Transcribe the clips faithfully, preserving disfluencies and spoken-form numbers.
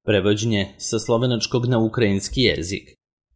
prevođenje sa slovenačkog na ukrajinski jezik.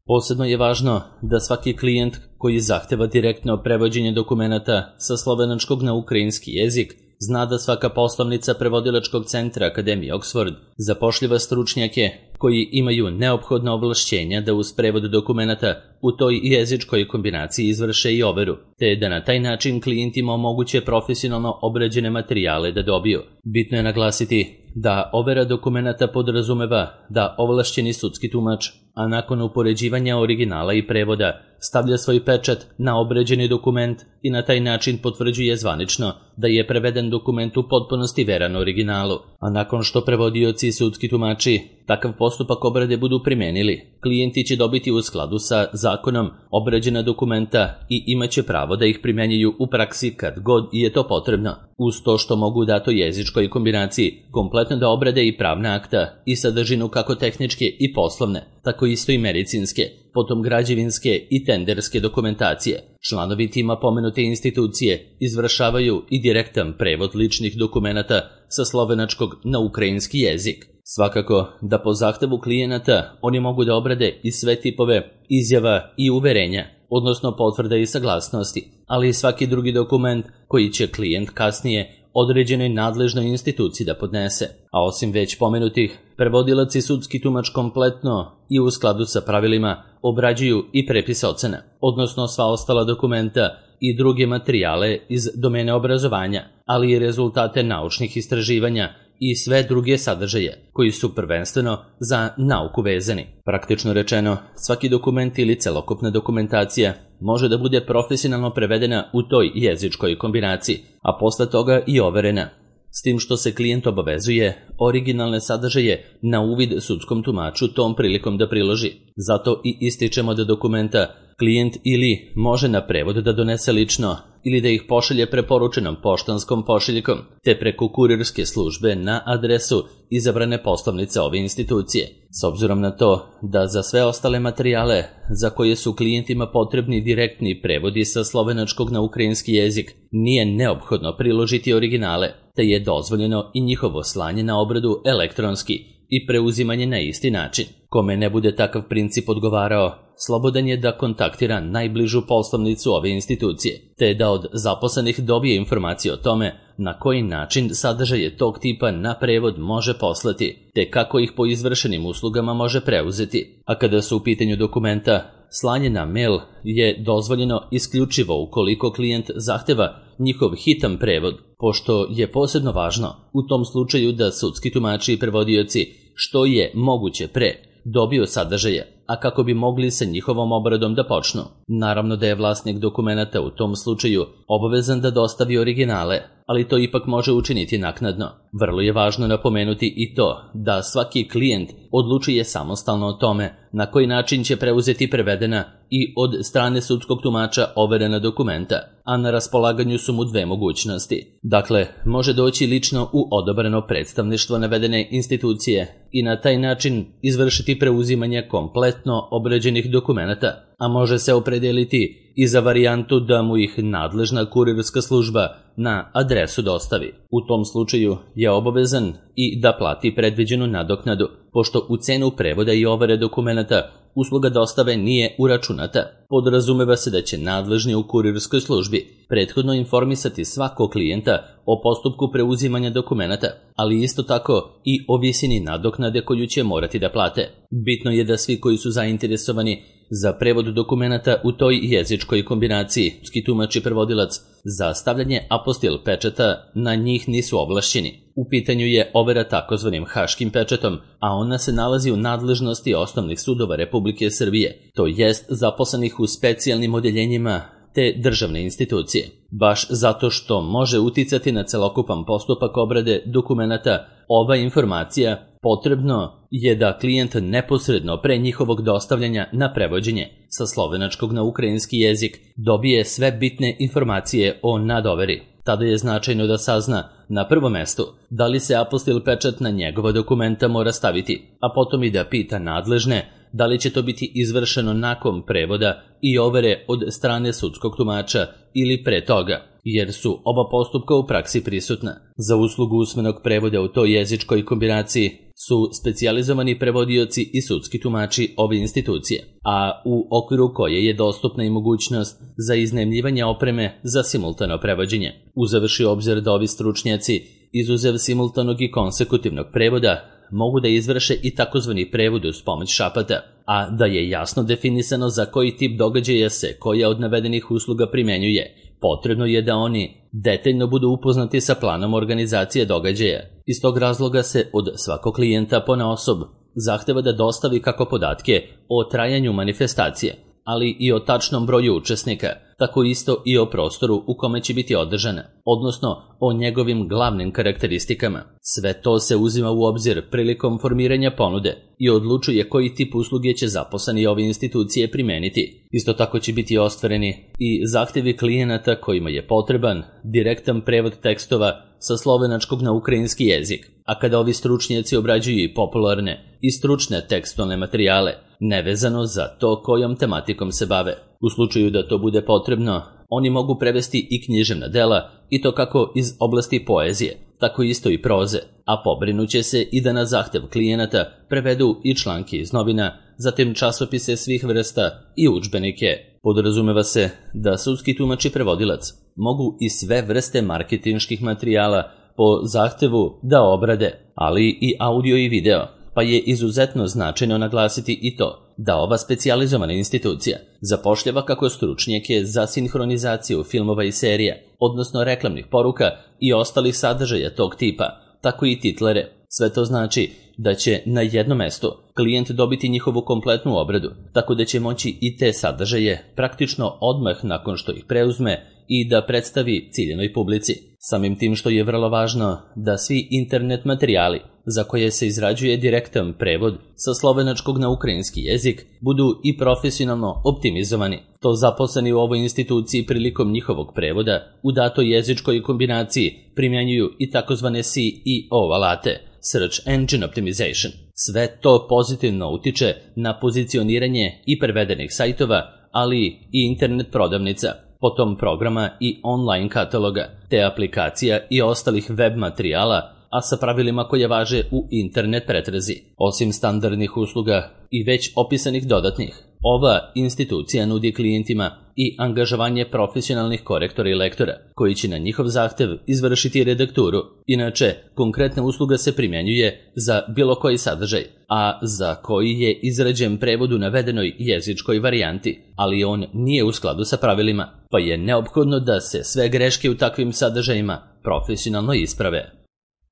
Posebno je važno da svaki klijent koji zahteva direktno prevođenje dokumenata sa slovenačkog na ukrajinski jezik zna da svaka poslovnica prevodilačkog centra Akademije Oxford zapošljava stručnjake koji imaju neophodna ovlašćenja da uz prevod dokumenata u toj jezičkoj kombinaciji izvrše i overu, te da na taj način klijentima omoguće profesionalno obrađene materijale da dobiju. Bitno je naglasiti da overa dokumenata podrazumeva da ovlašćeni sudski tumač, a nakon upoređivanja originala i prevoda, stavlja svoj pečat na obrađeni dokument i na taj način potvrđuje zvanično da je preveden dokument u potpunosti veran originalu. A nakon što prevodioci i sudski tumači takav postupak obrade budu primenili, klijenti će dobiti u skladu sa zakonom obrađena dokumenta i imaće pravo da ih primenjuju u praksi kad god je to potrebno, uz to što mogu u datoj jezičkoj kombinaciji kompletno da obrade i pravna akta i sadržinu kako tehničke i poslovne, tako isto i medicinske, potom građevinske i tenderske dokumentacije. Članovi tima pomenute institucije izvršavaju i direktan prevod ličnih dokumenata sa slovenačkog na ukrajinski jezik. Svakako da po zahtevu klijenata oni mogu da obrade i sve tipove izjava i uverenja, odnosno potvrde i saglasnosti, ali i svaki drugi dokument koji će klijent kasnije određenoj nadležnoj instituciji da podnese. A osim već pomenutih, prevodilac i sudski tumač kompletno i u skladu sa pravilima obrađuju i prepis ocena, odnosno sva ostala dokumenta i druge materijale iz domene obrazovanja, ali i rezultate naučnih istraživanja i sve druge sadržaje koji su prvenstveno za nauku vezani. Praktično rečeno, svaki dokument ili celokupna dokumentacija može da bude profesionalno prevedena u toj jezičkoj kombinaciji, a posle toga i overena, s tim što se klijent obavezuje originalne sadržaje na uvid sudskom tumaču tom prilikom da priloži. Zato i ističemo da dokumenta klijent ili može na prevod da donese lično ili da ih pošalje preporučenom poštanskom pošiljkom, te preko kurirske službe na adresu izabrane poslovnice ove institucije. S obzirom na to da za sve ostale materijale za koje su klijentima potrebni direktni prevodi sa slovenačkog na ukrajinski jezik nije neophodno priložiti originale, te je dozvoljeno i njihovo slanje na obradu elektronski i preuzimanje na isti način. Kome ne bude takav princip odgovarao, slobodan je da kontaktira najbližu poslovnicu ove institucije, te da od zaposlenih dobije informacije o tome na koji način sadržaje tog tipa na prevod može poslati, te kako ih po izvršenim uslugama može preuzeti. A kada su u pitanju dokumenta, slanje na mail je dozvoljeno isključivo ukoliko klijent zahteva njihov hitan prevod, pošto je posebno važno u tom slučaju da sudski tumači i prevodioci što je moguće pre dobiju sadržaje, a kako bi mogli sa njihovom obradom da počnu. Naravno da je vlasnik dokumenata u tom slučaju obavezan da dostavi originale, ali to ipak može učiniti naknadno. Vrlo je važno napomenuti i to da svaki klijent odlučuje samostalno o tome na koji način će preuzeti prevedena i od strane sudskog tumača overena dokumenta, a na raspolaganju su mu dve mogućnosti. Dakle, može doći lično u odabrano predstavništvo navedene institucije i na taj način izvršiti preuzimanje kompletno obrađenih dokumenata, a može se opredeliti i za varijantu da mu ih nadležna kurirska služba na adresu dostavi. U tom slučaju je obavezan i da plati predviđenu nadoknadu, pošto u cenu prevoda i overe dokumenata usluga dostave nije uračunata. Podrazumeva se da će nadležni u kurirskoj službi prethodno informisati svakog klijenta o postupku preuzimanja dokumenata, ali isto tako i o visini nadoknade koju će morati da plate. Bitno je da svi koji su zainteresovani za prevod dokumenata u toj jezičkoj kombinaciji, sudski tumač i prevodilac, za stavljanje apostil pečata na njih nisu ovlašćeni. U pitanju je overa takozvanim haškim pečatom, a ona se nalazi u nadležnosti osnovnih sudova Republike Srbije, to jest zaposlenih u specijalnim odeljenjima te državne institucije. Baš zato što može uticati na celokupan postupak obrade dokumenata, ova informacija potrebno je da klijent neposredno pre njihovog dostavljanja na prevođenje sa slovenačkog na ukrajinski jezik dobije sve bitne informacije o nadoveri. Tada je značajno da sazna na prvom mestu da li se apostil pečat na njegova dokumenta mora staviti, a potom i da pita nadležne da li će to biti izvršeno nakon prevoda i overe od strane sudskog tumača ili pre toga, jer su oba postupka u praksi prisutna. Za uslugu usmenog prevoda u toj jezičkoj kombinaciji su specijalizovani prevodioci i sudski tumači ove institucije, a u okviru koje je dostupna i mogućnost za iznajmljivanje opreme za simultano prevođenje. Uzevši obzir da ovi stručnjaci, izuzev simultanog i konsekutivnog prevoda, mogu da izvrše i takozvani prevod uz pomoć šapata, a da je jasno definisano za koji tip događaja se koja od navedenih usluga primenjuje, potrebno je da oni detaljno budu upoznati sa planom organizacije događaja. Iz tog razloga se od svakog klijenta ponaosob zahteva da dostavi kako podatke o trajanju manifestacije, ali i o tačnom broju učesnika, tako isto i o prostoru u kome će biti održana, odnosno o njegovim glavnim karakteristikama. Sve to se uzima u obzir prilikom formiranja ponude i odlučuje koji tip usluge će zaposleni ove institucije primeniti. Isto tako će biti ostvareni i zahtevi klijenata kojima je potreban direktan prevod tekstova sa slovenačkog na ukrajinski jezik, a kada ovi stručnjaci obrađuju i popularne i stručne tekstualne materijale, nevezano za to kojom tematikom se bave. U slučaju da to bude potrebno, oni mogu prevesti i književna dela, i to kako iz oblasti poezije, tako isto i proze, a pobrinuće se i da na zahtev klijenata prevedu i članke iz novina, zatim časopise svih vrsta i udžbenike. Podrazumeva se da sudski tumač i prevodilac mogu i sve vrste marketinških materijala po zahtevu da obrade, ali i audio i video, pa je izuzetno značajno naglasiti i to da ova specijalizovana institucija zapošljava kako stručnjake za sinhronizaciju filmova i serija, odnosno reklamnih poruka i ostalih sadržaja tog tipa, tako i titlere. Sve to znači da će na jednom mestu klijent dobiti njihovu kompletnu obradu, tako da će moći i te sadržaje praktično odmah nakon što ih preuzme i da predstavi ciljenoj publici. Samim tim što je vrlo važno da svi internet materijali za koje se izrađuje direktan prevod sa slovenačkog na ukrajinski jezik budu i profesionalno optimizovani. To zaposleni u ovoj instituciji prilikom njihovog prevoda u datoj jezičkoj kombinaciji primjenjuju i takozvane C E O alate, Search Engine Optimization. Sve to pozitivno utiče na pozicioniranje i prevedenih sajtova, ali i internet prodavnica, potom programa i online kataloga, te aplikacija i ostalih web materijala, a sa pravilima koje važe u internet pretrazi. Osim standardnih usluga i već opisanih dodatnih, ova institucija nudi klijentima i angažovanje profesionalnih korektora i lektora, koji će na njihov zahtev izvršiti redakturu. Inače, konkretna usluga se primjenjuje za bilo koji sadržaj, a za koji je izrađen prevod u navedenoj jezičkoj varijanti, ali on nije u skladu sa pravilima, pa je neophodno da se sve greške u takvim sadržajima profesionalno isprave.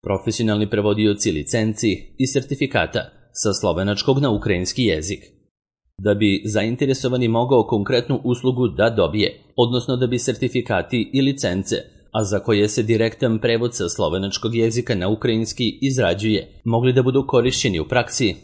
Profesionalni prevodioci licenci i sertifikata sa slovenačkog na ukrajinski jezik. Da bi zainteresovani mogao konkretnu uslugu da dobije, odnosno da bi sertifikati i licence, a za koje se direktan prevod sa slovenačkog jezika na ukrajinski izrađuje, mogli da budu korišćeni u praksi,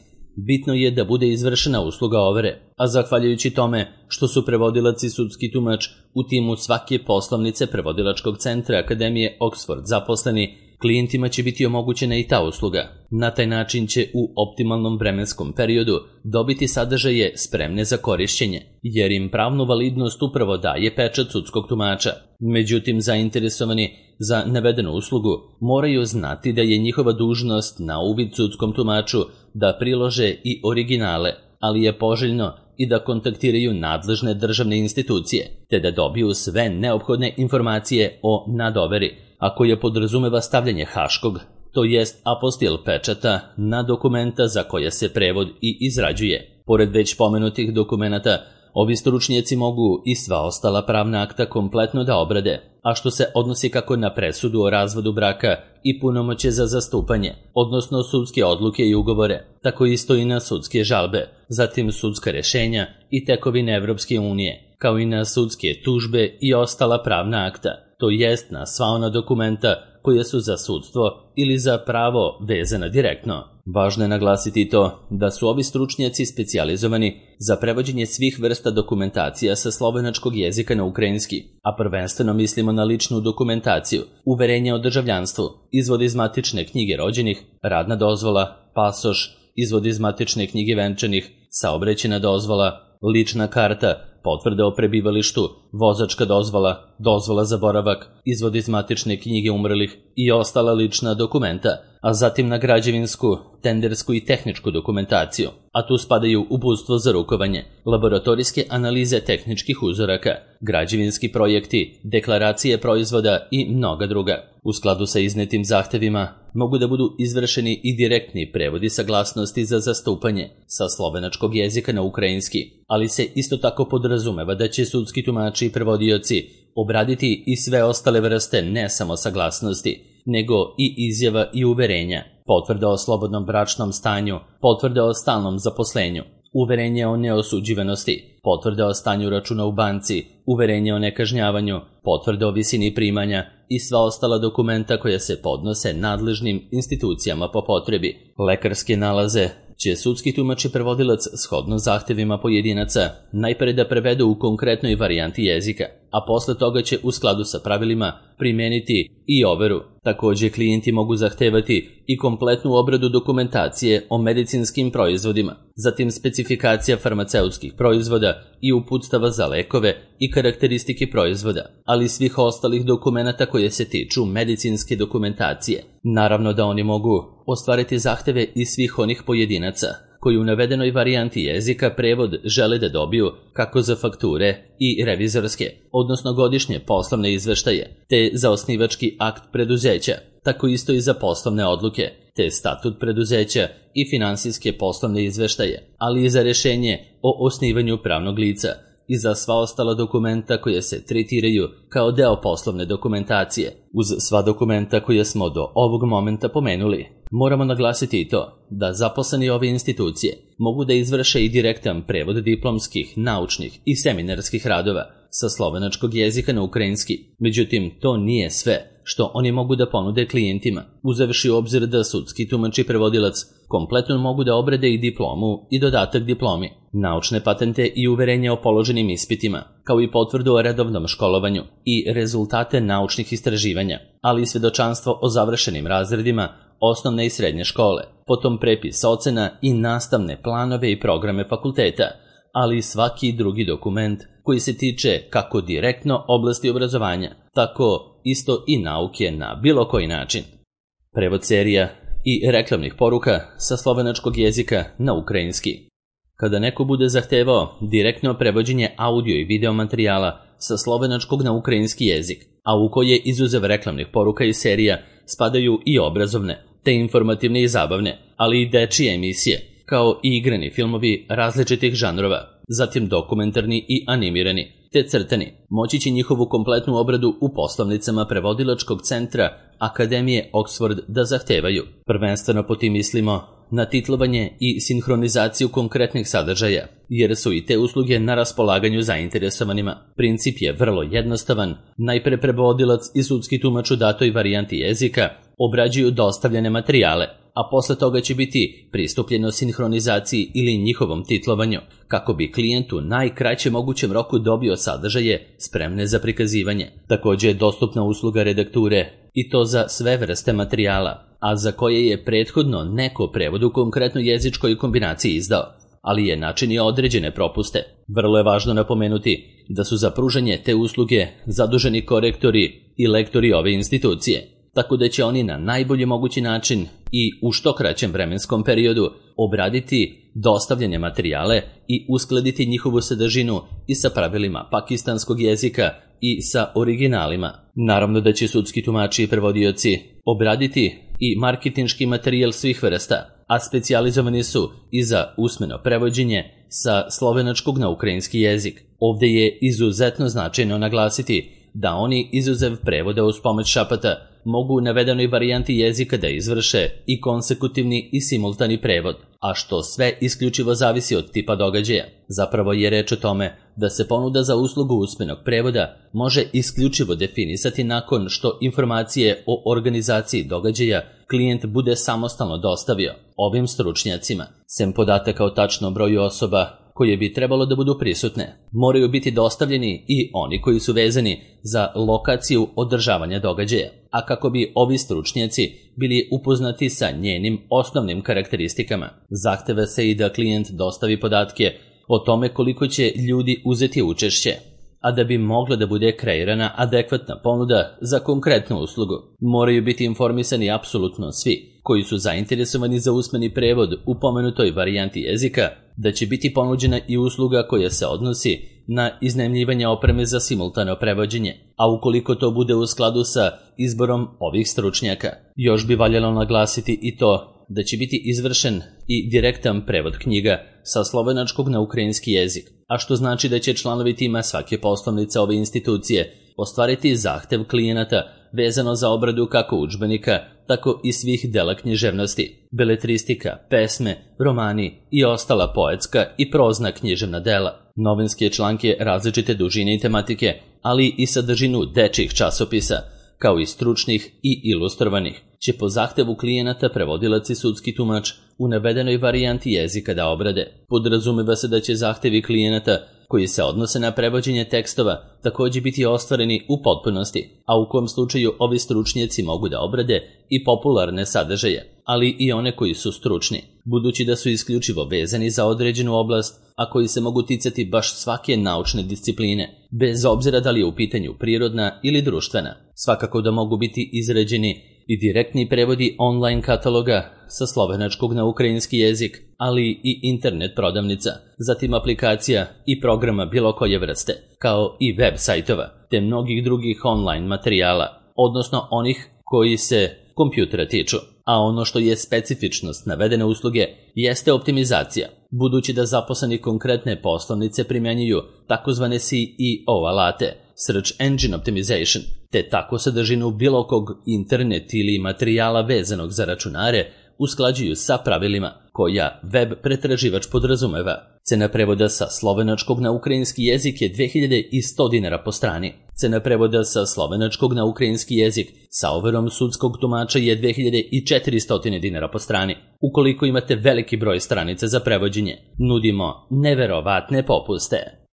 bitno je da bude izvršena usluga overe, a zahvaljujući tome što su prevodilac i sudski tumač u timu svake poslovnice prevodilačkog centra Akademije Oxford zaposleni, klijentima će biti omogućena i ta usluga. Na taj način će u optimalnom vremenskom periodu dobiti sadržaje spremne za korišćenje, jer im pravnu validnost upravo daje pečat sudskog tumača. Međutim, zainteresovani za navedenu uslugu moraju znati da je njihova dužnost na uvid sudskom tumaču da prilože i originale, ali je poželjno i da kontaktiraju nadležne državne institucije, te da dobiju sve neophodne informacije o nadoveri, a koje podrazumeva stavljanje haškog, to jest apostil pečata, na dokumenta za koje se prevod i izrađuje. Pored već pomenutih dokumenata, ovi stručnjaci mogu i sva ostala pravna akta kompletno da obrade, a što se odnosi kako na presudu o razvodu braka i punomoćje za zastupanje, odnosno sudske odluke i ugovore, tako isto i na sudske žalbe, zatim sudska rešenja i tekovine Evropske unije, kao i na sudske tužbe i ostala pravna akta, to jest na sva ona dokumenta koje su za sudstvo ili za pravo vezana direktno. Važno je naglasiti to da su ovi stručnjaci specijalizovani za prevođenje svih vrsta dokumentacija sa slovenačkog jezika na ukrajinski, a prvenstveno mislimo na ličnu dokumentaciju, uverenje o državljanstvu, izvod iz matične knjige rođenih, radna dozvola, pasoš, izvod iz matične knjige venčanih, saobraćajna dozvola, lična karta, potvrda o prebivalištu, vozačka dozvola, dozvola za boravak, izvod iz matične knjige umrlih i ostala lična dokumenta, a zatim na građevinsku, tendersku i tehničku dokumentaciju, a tu spadaju uputstvo za rukovanje, laboratorijske analize tehničkih uzoraka, građevinski projekti, deklaracije proizvoda i mnoga druga. U skladu sa iznetim zahtevima mogu da budu izvršeni i direktni prevodi saglasnosti za zastupanje sa slovenačkog jezika na ukrajinski, ali se isto tako podrazumeva da će sudski tumači i prevodioci obraditi i sve ostale vrste ne samo saglasnosti, nego i izjava i uverenja, potvrda o slobodnom bračnom stanju, potvrda o stalnom zaposlenju, uverenje o neosuđivanosti, potvrda o stanju računa u banci, uverenje o nekažnjavanju, potvrda o visini primanja i sva ostala dokumenta koja se podnose nadležnim institucijama po potrebi. Lekarske nalaze će sudski tumač i prevodilac shodno zahtevima pojedinaca najpre da prevedu u konkretnoj varijanti jezika, a posle toga će u skladu sa pravilima primeniti i overu. Takođe, klijenti mogu zahtevati i kompletnu obradu dokumentacije o medicinskim proizvodima, zatim specifikacija farmaceutskih proizvoda i uputstava za lekove i karakteristike proizvoda, ali i svih ostalih dokumenata koje se tiču medicinske dokumentacije. Naravno da oni mogu ostvariti zahteve i svih onih pojedinaca koji u navedenoj varijanti jezika prevod žele da dobiju kako za fakture i revizorske, odnosno godišnje poslovne izveštaje, te za osnivački akt preduzeća, tako isto i za poslovne odluke, te statut preduzeća i finansijske poslovne izveštaje, ali i za rešenje o osnivanju pravnog lica i za sva ostala dokumenta koje se tretiraju kao deo poslovne dokumentacije. Uz sva dokumenta koje smo do ovog momenta pomenuli, moramo naglasiti i to da zaposleni ove institucije mogu da izvrše i direktan prevod diplomskih, naučnih i seminarskih radova sa slovenačkog jezika na ukrajinski. Međutim, to nije sve što oni mogu da ponude klijentima, uzevši u obzir da sudski tumač i prevodilac kompletno mogu da obrade i diplomu i dodatak diplomi, naučne patente i uverenja o položenim ispitima, kao i potvrdu o redovnom školovanju i rezultate naučnih istraživanja, ali i svedočanstvo o završenim razredima osnovne i srednje škole, potom prepis ocena i nastavne planove i programe fakulteta, ali i svaki drugi dokument koji se tiče kako direktno oblasti obrazovanja, tako isto i nauke na bilo koji način. Prevod serija i reklamnih poruka sa slovenačkog jezika na ukrajinski. Kada neko bude zahtevao direktno prevođenje audio i video materijala sa slovenačkog na ukrajinski jezik, a u koje izuzev reklamnih poruka i serija spadaju i obrazovne, te informativne i zabavne, ali i dečije emisije, kao i igrani filmovi različitih žanrova, zatim dokumentarni i animirani, te crtani, moći će njihovu kompletnu obradu u poslovnicama prevodilačkog centra Akademije Oxford da zahtevaju. Prvenstveno po tim mislimo na titlovanje i sinhronizaciju konkretnih sadržaja, jer su i te usluge na raspolaganju zainteresovanima. Princip je vrlo jednostavan. Najpre prevodilac i sudski tumač u datoj varijanti jezika obrađuju dostavljene materijale, a posle toga će biti pristupljeno sinhronizaciji ili njihovom titlovanju, kako bi klijent u najkraćem mogućem roku dobio sadržaje spremne za prikazivanje. Takođe je dostupna usluga redakture, i to za sve vrste materijala, a za koje je prethodno neko prevod u konkretnoj jezičkoj kombinaciji izdao, ali je načinio određene propuste. Vrlo je važno napomenuti da su za pružanje te usluge zaduženi korektori i lektori ove institucije, tako da će oni na najbolji mogući način i u što kraćem vremenskom periodu obraditi dostavljene materijale i uskladiti njihovu sadržinu i sa pravilima pakistanskog jezika i sa originalima. Naravno da će sudski tumači i prevodioci obraditi i marketinški materijal svih vrsta, a specijalizovani su i za usmeno prevođenje sa slovenačkog na ukrajinski jezik. Ovde je izuzetno značajno naglasiti da oni izuzev prevoda uz pomoć šapata mogu u navedenoj varijanti jezika da izvrše i konsekutivni i simultani prevod, a što sve isključivo zavisi od tipa događaja. Zapravo je reč o tome da se ponuda za uslugu usmenog prevoda može isključivo definisati nakon što informacije o organizaciji događaja klijent bude samostalno dostavio ovim stručnjacima. Sem podataka o tačnom broju osoba koje bi trebalo da budu prisutne, moraju biti dostavljeni i oni koji su vezani za lokaciju održavanja događaja, a kako bi ovi stručnjaci bili upoznati sa njenim osnovnim karakteristikama. Zahteva se i da klijent dostavi podatke o tome koliko će ljudi uzeti učešće, a da bi mogla da bude kreirana adekvatna ponuda za konkretnu uslugu, moraju biti informisani apsolutno svi koji su zainteresovani za usmeni prevod u pomenutoj varijanti jezika, da će biti ponuđena i usluga koja se odnosi na iznajmljivanje opreme za simultano prevođenje, a ukoliko to bude u skladu sa izborom ovih stručnjaka. Još bi valjalo naglasiti i to da će biti izvršen i direktan prevod knjiga sa slovenačkog na ukrajinski jezik, a što znači da će članovi tima svake poslovnice ove institucije ostvariti zahtev klijenata vezano za obradu kako udžbenika, tako i svih dela književnosti, beletristika, pesme, romani i ostala poetska i prozna književna dela, novinske članke različite dužine i tematike, ali i sadržinu dečjih časopisa, kao i stručnih i ilustrovanih, će po zahtevu klijenata prevodilac i sudski tumač u navedenoj varijanti jezika da obrade. Podrazumeva se da će zahtevi klijenata koji se odnose na prevođenje tekstova također biti ostvareni u potpunosti, a u kom slučaju ovi stručnjaci mogu da obrade i popularne sadržaje, ali i one koji su stručni, budući da su isključivo vezani za određenu oblast, a koji se mogu ticati baš svake naučne discipline, bez obzira da li je u pitanju prirodna ili društvena. Svakako da mogu biti izrađeni i direktni prevodi online kataloga sa slovenačkog na ukrajinski jezik, ali i internet prodavnica, zatim aplikacija i programa bilo koje vrste, kao i web sajtova, te mnogih drugih online materijala, odnosno onih koji se kompjutera tiču. A ono što je specifičnost navedene usluge jeste optimizacija, budući da zaposleni konkretne poslovnice primjenjuju takozvane C E O alate, Search Engine Optimization, te tako sadržinu bilo kog internet ili materijala vezanog za računare usklađuju sa pravilima koja web pretraživač podrazumeva. Cena prevoda sa slovenačkog na ukrajinski jezik je dve hiljade sto dinara po strani. Cena prevoda sa slovenačkog na ukrajinski jezik sa overom sudskog tumača je dve hiljade četiristo dinara po strani. Ukoliko imate veliki broj stranica za prevođenje, nudimo neverovatne popuste.